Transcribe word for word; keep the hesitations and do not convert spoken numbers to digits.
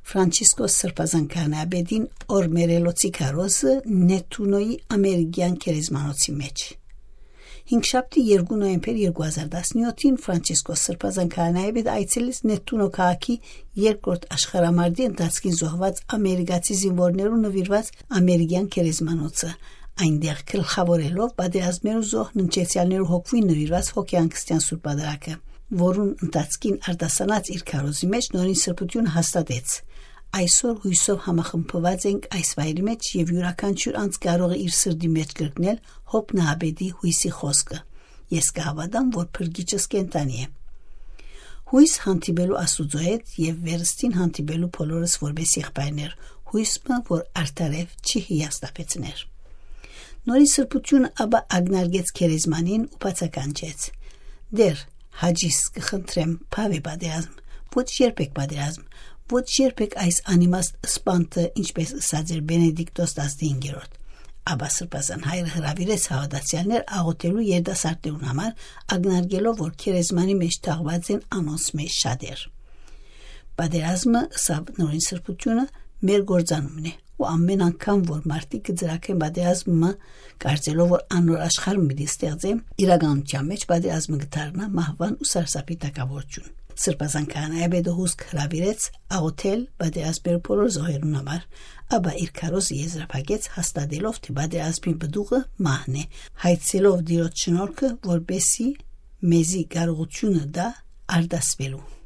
Ֆրանցիսկոս Սրբազան քահանայապետին օրմերելոցի քարոզը Նեթունոյի ամերիկեան գերեզմանոցի մէջ։ Հինգշաբթի, երկու նոյեմբեր երկու հազար տասնյոթին Ֆրանցիսկոս Սրբազան քահանայապետը այցելեց Նեթունո քաղաքի երկրորդ աշխարհամարտի ընթացքին զոհուած ամերիկացի զինուորներուն նուիրուած ամերիկեան գերեզմանոցը։ Այնտեղ գլխաւորելով պատերազմներու զոհ ննջեցեալներու հոգւոյն նուիրուած հոգեհանգստեան սուրբ պատարագը, որուն ընթացքին արտասանած իր քարոզի մէջ Նորին Սրբութիւնը հաստատեց. «Այսօր յոյսով համախմբուած ենք այս վայրի մէջ եւ իւրաքանչիւր անձ կարող է իր սրտի մէջ կրկնել Յոբ նահապետի յոյսի խօսքը. "Ես կը հաւատամ, որ Փրկիչս կենդանի է"։ Յոյս հանդիպելու Աստուծոյ հետ եւ վերստին հանդիպելու բոլորս որպէս եղբայրներ, յոյս մը, որ արդարեւ չի հիասթափեցներ»։ Նորին Սրբութիւնը ապա ակնարկեց գերեզմանին ու բացականչեց. "Տէր, հաճիս կը խնդրեմ, բաւէ պատերազմ, ոչ երբեք պատերազմ, ոչ երբեք այս անիմաստ սպանքը", ինչպես ըսած էր Բենեդիկտոս տասնհինգերորդ։ Ապա Սրբազան Հայրը հրաւիրեց հաւատացեալներ աղօթելու երիտասարդներուն համար, ակնարկելով, որ գերեզմանի մէջ թաղուած են անոնց մէջ շատեր։ "Պատերազմը", ըսաւ Նորին Սրբութիւնը, "մեր գործանումն է, ու ամէն անգամ, որ մարդիկ կը ծրագեն պատերազմը, կարծելով, որ անոր աշխարհ մը պիտի ստեղծեն, իրականութեան մէջ պատերազմը կը դառնայ մահուան ու սարսափի թագաւորութիւն"։ Սրբազան քահանայապետը հուսկ հրաւիրեց աղօթել պատերազմի բոլոր զոհերուն համար, ապա իր քարոզը եզրափակեց հաստատելով, թէ պատերազմի պտուղը մահն է, հայցելով Տիրոջ շնորհքը, որպէսզի մեզի կարողութիւնը տայ արտասուելու։